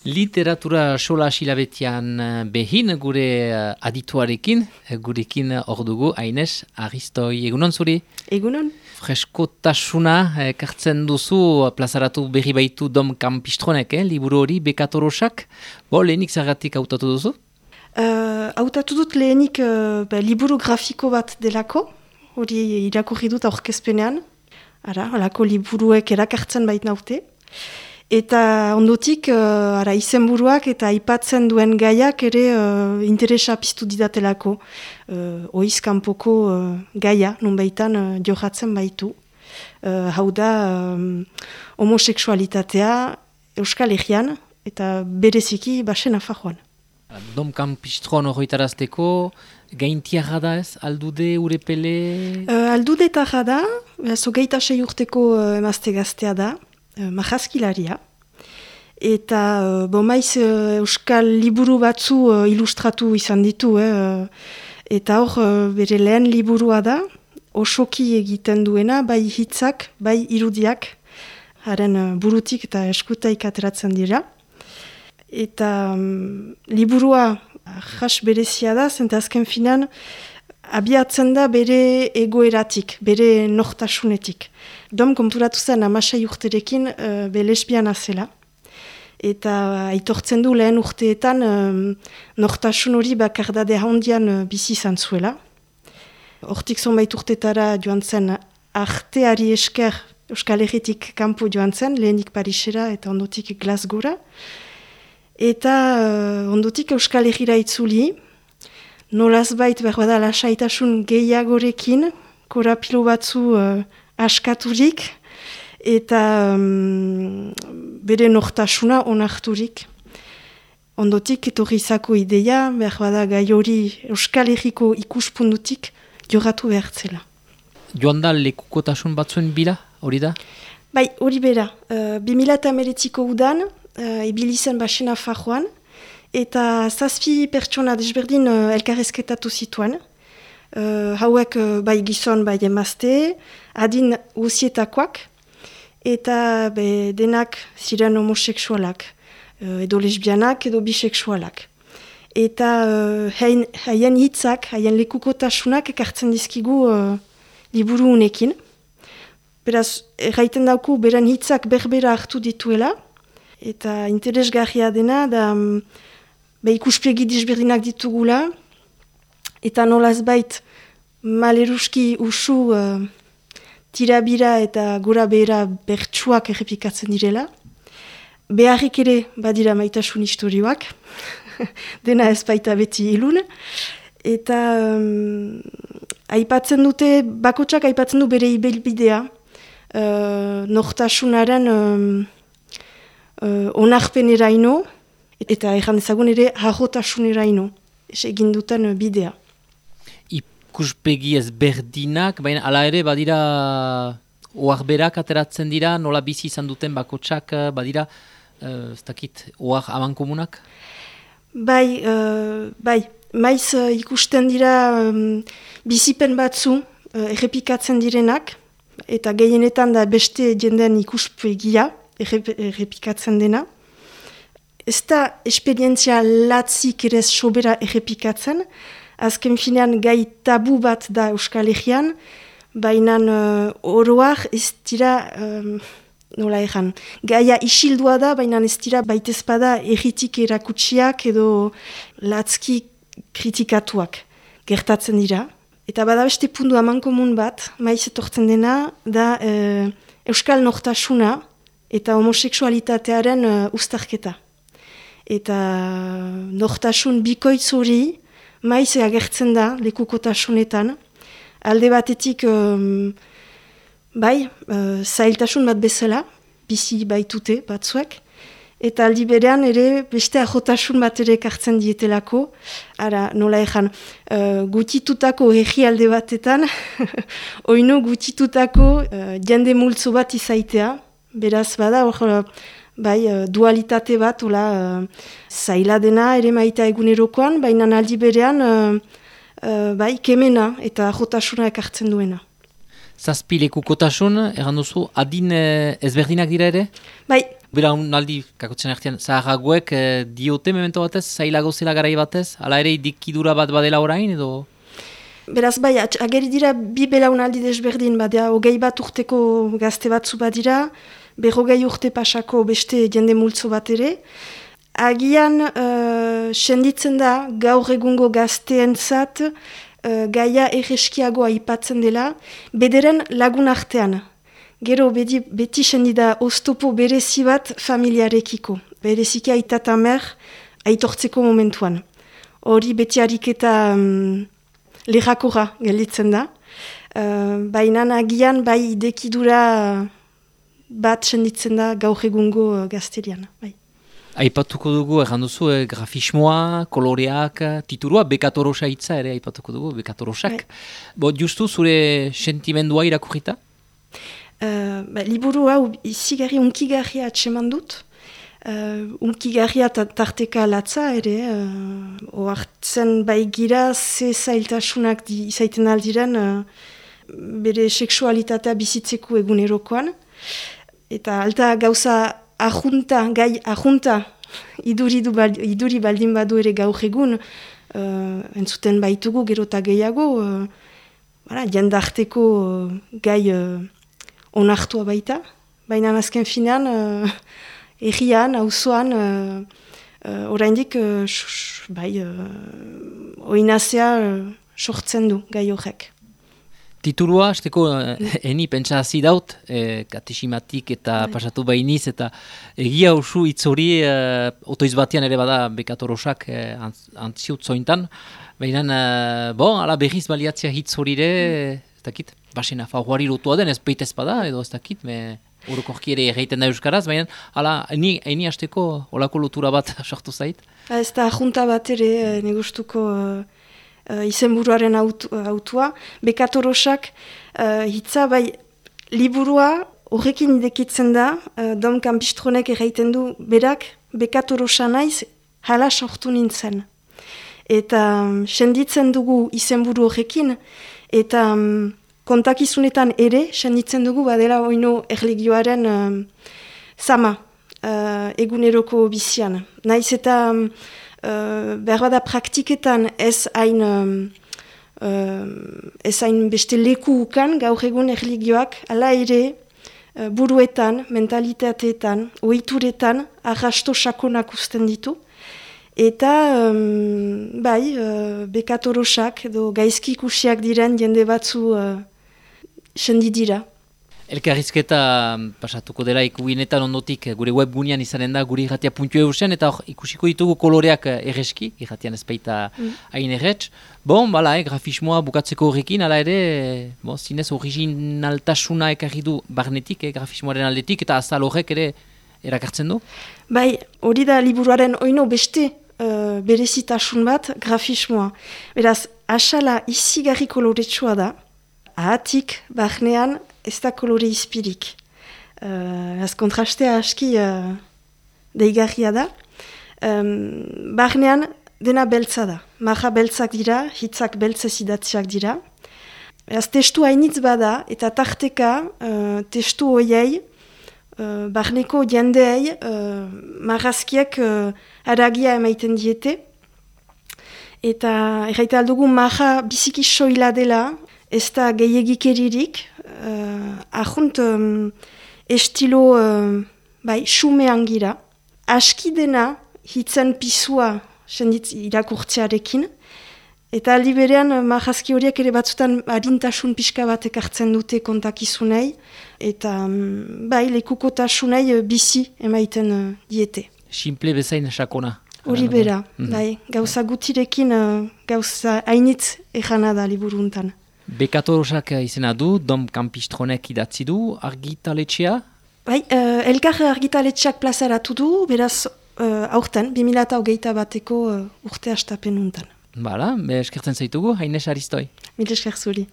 Literatura sola silabetian behin gure adituarekin, gurekin hor dugu, Aines Aristoi, egunon zuri? Egunon. Freskotasuna ekartzen duzu, plazaratu berri baitu Dom Campistronek, liburu hori bekatorosak. Lehenik zergatik hautatu duzu? Hautatu dut lehenik liburu grafiko bat delako, hori irakurri dut aurkezpenean. Halako liburuek erakartzen bait naute. Eta ondotik, izenburuak eta aipatzen duen gaiak ere interesa piztu didatelako. Oiz kanpoko gaia, nunbaitan johatzen baitu. Hau da, homoseksualitatea Euskal Herrian eta bereziki Basen Nafarroan. Dom Campistron horretarazteko, gaintiarra da ez? Aldude, urepele? Aldude tarra da, zogeita 6 urteko emazte gaztea da. Majazkilaria. Eta maiz euskal liburu batzu ilustratu izan ditu. Eta hor bere lehen liburua da, osoki egiten duena, bai hitzak, bai irudiak, haren burutik eta eskutaik ateratzen dira. Eta liburua jas berezia da, zenta azken finan, abiatzen da bere egoeratik, bere nortasunetik. Dom konturatu zen 16 urterekin be lesbiana zela. Eta aitortzen du lehen urteetan nortasun hori bakardade handian bizi izan zuela. Hortik zonbait urtetara joan zen arteari esker Euskal Herritik kanpo joan zen, lehenik Parisera eta ondotik Glasgowra. Eta ondotik Euskal Herrira itzuli, nolazbait behar bada lasaitasun gehiagorekin, korapilo batzu askaturik, eta bere nortasuna onarturik. Ondotik etorri izako ideia, behar bada gai hori Euskal Herriko ikuspundutik joratu behartzela. Joan da lekukotasun batzuen bila, hori da? Bai, hori bera. 2008ko udan, ibili zen Basen Nafarroan, eta 7 pertsona desberdin elkarrezketatu zituen. Hauek bai gizon, bai emazte, adin guzietakoak, eta denak ziren homoseksualak, edo lesbianak, edo biseksualak. Eta haien hitzak, haien lekukotasunak ekartzen dizkigu liburu unekin. Beraz, erraiten dauku beren hitzak berbera hartu dituela, eta interesgarria dena, da ikuspegi desberdinak ditugula, eta nolazbait maleruski usu tirabira eta gora behera bertsuak errepikatzen direla. Beharrik ere badira maitasun historioak, dena ez baita beti ilun. Eta aipatzen dute, bakotsak aipatzen du bere ibilbidea, nortasunaren onarpeneraino, eta erran ezagun ere harrotasuneraino, egin duten bidea. Ikuspegi ezberdinak, baina ala ere badira oharberak ateratzen dira, nola bizi izan duten bakotsak badira, ez dakit, ohar amankomunak? Bai, maiz ikusten dira bizipen batzu errepikatzen direnak, eta gehienetan da beste jenden ikuspegia errepikatzen dena. Ez da esperientzia latzik ere sobera errepikatzen, azken finean gai tabu bat da Euskal Herrian, baina oroak ez dira, nola erran, gaia isildua da, baina ez dira baitezpada erritik erakutsiak edo latzki kritikatuak gertatzen dira. Eta bada beste puntu amankomun bat, maiz etortzen dena, da Euskal nortasuna eta homoseksualitatearen uztarketa. Eta nortasun bikoitz hori maiz agertzen da lekukotasunetan. Alde batetik zailtasun bat bezala, bizi baitute batzuek, eta aldi berean ere beste ahotasun bat ere ekartzen dietelako. Nola ezan, gutitutako herri alde batetan, oino gutitutako jende multzo bat izaitea, beraz bada hor dualitate bat, zaila dena ere maita egunerokoan, baina aldi berean kemena eta ahotasuna ekartzen duena. 7 lekukotasun, erran duzu, adin ezberdinak dira ere? Bai, Belaunaldi, kakotzen artean, zaharragoek diote memento batez, zailago zela garai batez, ala ere idikidura bat badela orain, edo? Beraz bai, ageri dira bi belaunaldi desberdin, badea, 21 urteko gazte batzu badira, 40 urte pasako beste jende multzo bat ere. Agian, senditzen da, gaur egungo gazteentzat, gaia erreskiagoa aipatzen dela, bederen lagun artean. Gero beti sendida oztopo berezi bat familiarekiko. Bereziki aita eta mer aitortzeko momentuan. Hori beti ariketa lehakora gelditzen da. Baina agian bai idekidura bat senditzen da gaur egungo gazterian. Bai. Aipatuko dugu, duzu, grafismoa, koloreak, titurua, bekatorosa hitza ere aipatuko dugu, bekatorosak. Bai. Justu zure sentimendua irakurrita? Liburu hau izigarri unkigarria atseman dut. Unkigarria tarteka latza ere. Oartzen bai gira ze zailtasunak izaiten aldiren bere seksualitatea bizitzeko egunerokoan. Eta alta gauza gai ahunta iduri baldin badu ere gaur egun entzuten baitugu gero eta gehiago jendarteko gai onartua baita, baina azken finean errian, auzoan oraindik oinazea sortzen du gai horrek. Titulua, azteko, eni pentsa hazi daut, katesimatik eta pasatu bainiz, eta egia usu hitz hori otoiz batean ere bada bekatorosak antziut zointan, baina, ala berriz baliatzea hitz horire, ez dakit, basen afaguari lotua den, ez peitez bada, edo ez dakit, orokorki ere egiten da euskaraz, baina, eni azteko olako lotura bat sortu zait? Ez da junta bat ere, negustuko izenburuaren autua, bekatorosak hitza bai liburua horrekin idekitzen da, Dom Kampistronek erraiten du, berak bekatorosa naiz hala sortu nintzen. Eta senditzen dugu izenburu horrekin, eta kontakizunetan ere senditzen dugu badela oino erligioaren zama eguneroko bizian. Naiz eta behar bada praktiketan ez hain beste leku ukan gaur egun erligioak, ala ere buruetan, mentalitateetan, ohituretan arrasto sakonak usten ditu. Eta bekatorosak edo gaizki ikusiak diren jende batzu sendi dira. Elkarrizketa pasatuko dela ikuginetan ondotik gure webgunean izanen da gure irratia.eu zen, eta ikusiko ditugu koloreak erreski, irratian ez baita hain erretz. Grafismoa bukatzeko horrekin, ala ere, zinez originaltasuna ekarri du barnetik, grafismoaren aldetik, eta azal horrek ere erakartzen du? Bai, hori da liburuaren oino beste berezitasun bat grafismoa. Beraz, asala izigarri koloretsua da, ahatik, barnean, ez da kolore izpirik. Kontrastea aski deigarria da. Barnean dena beltza da. Maja beltzak dira, hitzak beltzez idatziak dira. Testu hainitz bada eta tarteka testu hoiei, barneko jendeei marrazkiek haragia emaiten diete. Eta erraita aldugu maja biziki soila dela, ez da gehiagikeririk, ahunt estilo xumean gira. Aski dena hitzen pisua irakurtzearekin, eta aldi berean marrazki horiek ere batzutan harintasun pixka bat ekartzen dute kontakizunei, eta lekukotasunei bizi emaiten diete. Simple bezain sakona. Hori bera, gauza gutirekin gauza hainitz ejana da liburuntan. Bekatorosak izena du, Dom Kampistronek idatzi du, argitaletxea? Elkar argitaletxeak plazaratu du, beraz aurten, 2021 urte hastapen untan. Eskertzen zaitugu, Haines Aristoi. Mil esker zuri.